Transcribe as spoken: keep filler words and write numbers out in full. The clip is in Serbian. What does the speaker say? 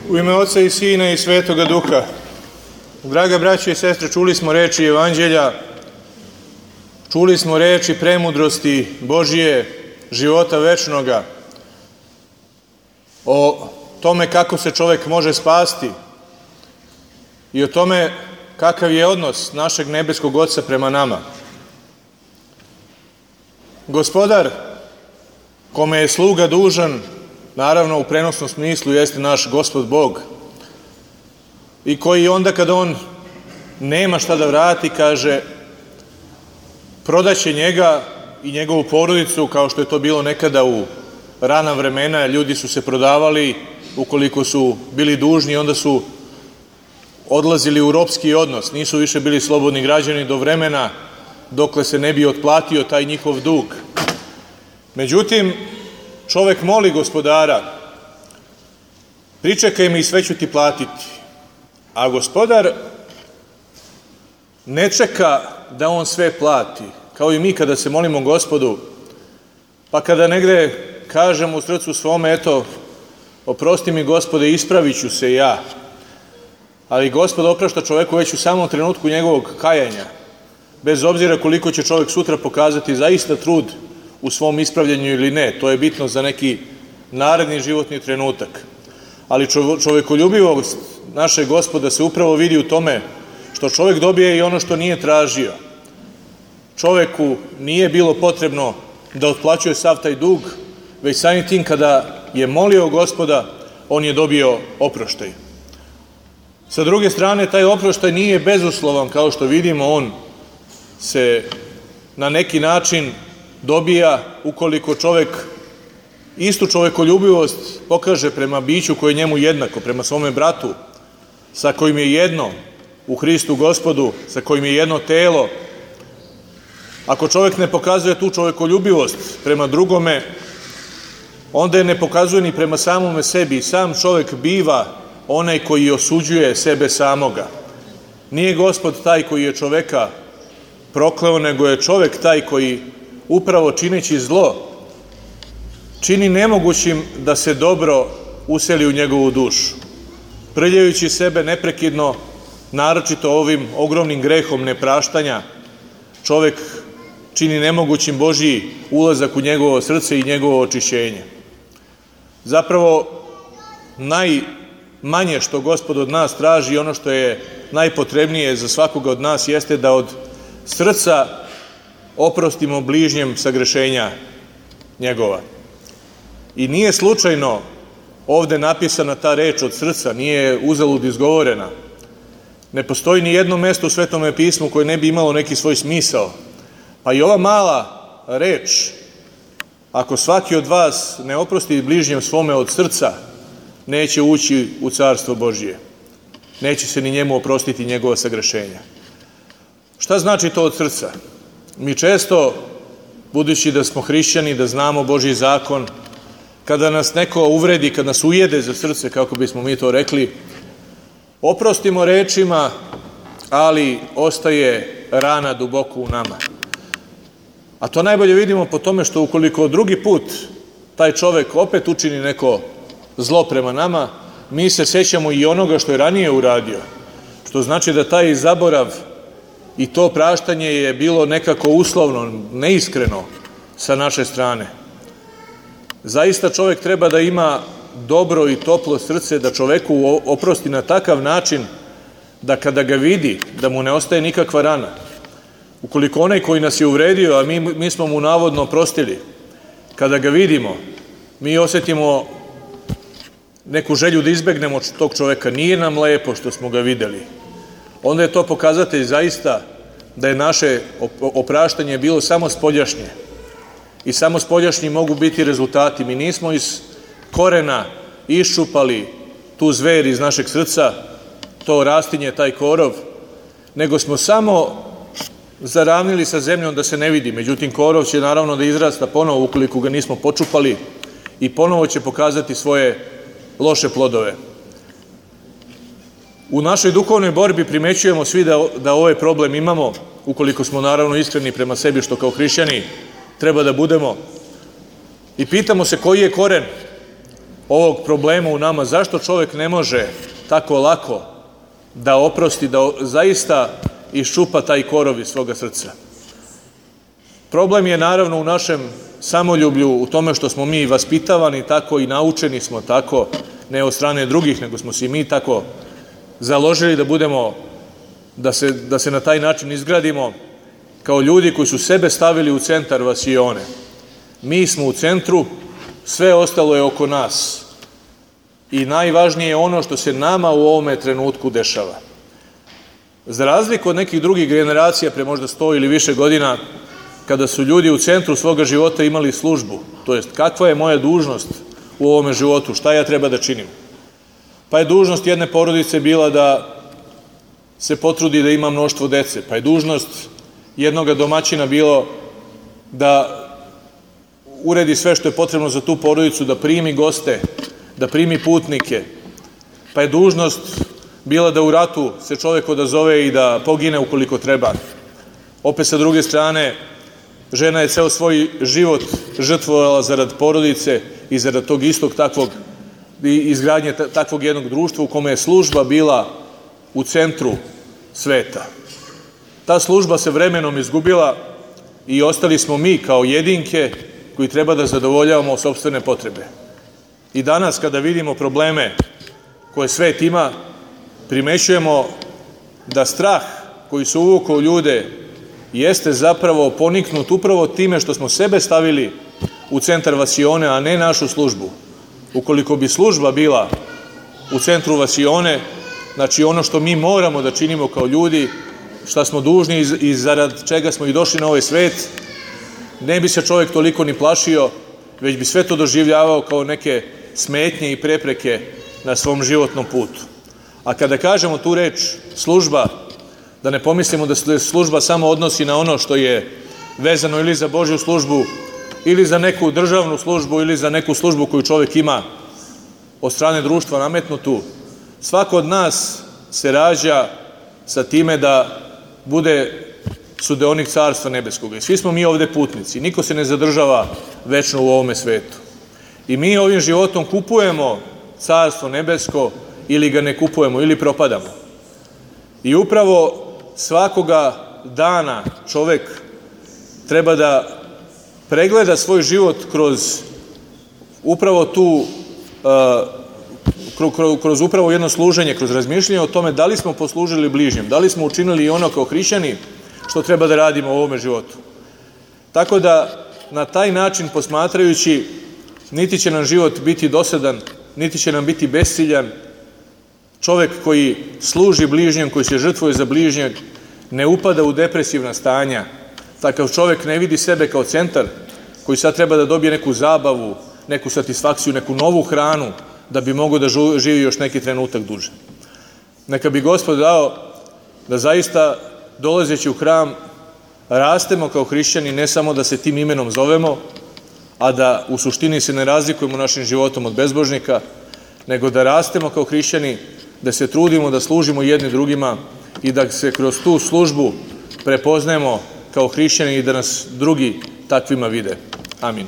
U ime Oca i Sina i Svetoga Duha. Draga braće i sestre, čuli smo reči Evanđelja, čuli smo reči premudrosti Božije, života večnoga, o tome kako se čovjek može spasti i o tome kakav je odnos našeg nebeskog Oca prema nama. Gospodar, kome je sluga dužan, naravno u prenosnom smislu jeste naš Gospod Bog, i koji onda kada on nema šta da vrati, kaže, prodaće njega i njegovu porodicu, kao što je to bilo nekada u rana vremena. Ljudi su se prodavali ukoliko su bili dužni, onda su odlazili u ropski odnos, nisu više bili slobodni građani do vremena dokle se ne bi otplatio taj njihov dug. Međutim, čovek moli Gospodara, pričekaj me i sve ću ti platiti. A Gospodar ne čeka da on sve plati, kao i mi kada se molimo Gospodu, pa kada negde kažemo u srcu svome, eto, oprosti mi Gospode, ispravit ću se ja. Ali Gospod oprašta čoveku već u samom trenutku njegovog kajanja, bez obzira koliko će čovjek sutra pokazati zaista trud u svom ispravljanju ili ne. To je bitno za neki naredni životni trenutak. Ali čovekoljubivost našeg Gospoda se upravo vidi u tome što čovjek dobije i ono što nije tražio. Čovjeku nije bilo potrebno da otplaćuje sav taj dug, već samim tim kada je molio Gospoda, on je dobio oproštaj. Sa druge strane, taj oproštaj nije bezuslovan, kao što vidimo, on se na neki način dobija ukoliko čovjek istu čovekoljubivost pokaže prema biću koje je njemu jednako, prema svome bratu, sa kojim je jedno u Hristu Gospodu, sa kojim je jedno telo. Ako čovjek ne pokazuje tu čovekoljubivost prema drugome, onda je ne pokazuje ni prema samome sebi. Sam čovjek biva onaj koji osuđuje sebe samoga. Nije Gospod taj koji je čoveka prokleo, nego je čovjek taj koji upravo čineći zlo čini nemogućim da se dobro useli u njegovu dušu. Prljajući sebe neprekidno, naročito ovim ogromnim grehom nepraštanja, čovjek čini nemogućim Božji ulazak u njegovo srce i njegovo očišćenje. Zapravo, najmanje što Gospod od nas traži, ono što je najpotrebnije za svakoga od nas, jeste da od srca oprostimo bližnjem sagrešenja njegova. I nije slučajno ovde napisana ta reč od srca, nije uzalud izgovorena. Ne postoji ni jedno mesto u Svetome pismu koje ne bi imalo neki svoj smisao. Pa i ova mala reč, ako svaki od vas ne oprosti bližnjem svome od srca, neće ući u Carstvo Božije. Neće se ni njemu oprostiti njegova sagrešenja. Šta znači to od srca? Mi često, budući da smo hrišćani, da znamo Božji zakon, kada nas neko uvredi, kada nas ujede za srce, kako bismo mi to rekli, oprostimo rečima, ali ostaje rana duboko u nama. A to najbolje vidimo po tome što ukoliko drugi put taj čovek opet učini neko zlo prema nama, mi se sećamo i onoga što je ranije uradio. Što znači da taj zaborav i to praštanje je bilo nekako uslovno, neiskreno sa naše strane. Zaista čovjek treba da ima dobro i toplo srce, da čoveku oprosti na takav način da kada ga vidi, da mu ne ostaje nikakva rana. Ukoliko onaj koji nas je uvredio, a mi, mi smo mu navodno oprostili, kada ga vidimo, mi osjetimo neku želju da izbegnemo tog čoveka, nije nam lepo što smo ga videli, onda je to pokazatelj zaista da je naše opraštanje bilo samo spoljašnje. I samo spoljašnji mogu biti rezultati. Mi nismo iz korena iščupali tu zver iz našeg srca, to rastinje, taj korov, nego smo samo zaravnili sa zemljom da se ne vidi. Međutim, korov će naravno da izrasta ponovo ukoliko ga nismo počupali i ponovo će pokazati svoje loše plodove. U našoj duhovnoj borbi primećujemo svi da, da ovaj problem imamo, ukoliko smo naravno iskreni prema sebi, što kao hrišćani treba da budemo. I pitamo se koji je koren ovog problema u nama, zašto čovjek ne može tako lako da oprosti, da zaista iščupa taj korov iz svoga srca. Problem je naravno u našem samoljublju, u tome što smo mi vaspitavani tako i naučeni smo tako, ne od strane drugih, nego smo se mi tako založili da budemo, da se, da se na taj način izgradimo kao ljudi koji su sebe stavili u centar vasione. Mi smo u centru, sve ostalo je oko nas. I najvažnije je ono što se nama u ovome trenutku dešava. Za razliku od nekih drugih generacija pre možda sto ili više godina, kada su ljudi u centru svoga života imali službu, to jest kakva je moja dužnost u ovome životu, šta ja treba da činim. Pa je dužnost jedne porodice bila da se potrudi da ima mnoštvo dece, pa je dužnost jednoga domaćina bilo da uredi sve što je potrebno za tu porodicu, da primi goste, da primi putnike, pa je dužnost bila da u ratu se čovjek odazove i da pogine ukoliko treba. Opet sa druge strane, žena je ceo svoj život žrtvovala zarad porodice i zarad tog istog takvog izgradnje takvog jednog društva u kome je služba bila u centru sveta. Ta služba se vremenom izgubila i ostali smo mi kao jedinke koji treba da zadovoljavamo sopstvene potrebe. I danas kada vidimo probleme koje svet ima, primećujemo da strah koji se uvukao u ljude jeste zapravo poniknut upravo time što smo sebe stavili u centar vasione, a ne našu službu. Ukoliko bi služba bila u centru vasione, znači ono što mi moramo da činimo kao ljudi, šta smo dužni i zarad čega smo i došli na ovaj svet, ne bi se čovjek toliko ni plašio, već bi sve to doživljavao kao neke smetnje i prepreke na svom životnom putu. A kada kažemo tu reč služba, da ne pomislimo da se služba samo odnosi na ono što je vezano ili za Božju službu, ili za neku državnu službu, ili za neku službu koju čovjek ima od strane društva nametnutu. Svako od nas se rađa sa time da bude sudeonik Carstva nebeskoga. I svi smo mi ovde putnici. Niko se ne zadržava večno u ovome svetu. I mi ovim životom kupujemo Carstvo nebesko ili ga ne kupujemo, ili propadamo. I upravo svakoga dana čovek treba da pregleda svoj život kroz upravo tu, uh, kroz upravo jedno služenje, kroz razmišljanje o tome da li smo poslužili bližnjem, da li smo učinili i ono kao hrišćani što treba da radimo u ovome životu. Tako da na taj način posmatrajući, niti će nam život biti dosadan, niti će nam biti besciljan. Čovek koji služi bližnjem, koji se žrtvuje za bližnjeg, ne upada u depresivna stanja. Takav čovek ne vidi sebe kao centar koji sad treba da dobije neku zabavu, neku satisfakciju, neku novu hranu da bi mogao da živi još neki trenutak duže. Neka bi Gospod dao da zaista dolazeći u hram rastemo kao hrišćani, ne samo da se tim imenom zovemo, a da u suštini se ne razlikujemo našim životom od bezbožnika, nego da rastemo kao hrišćani, da se trudimo da služimo jedni drugima i da se kroz tu službu prepoznajemo kao hrišćani i da nas drugi takvima vide. Amin.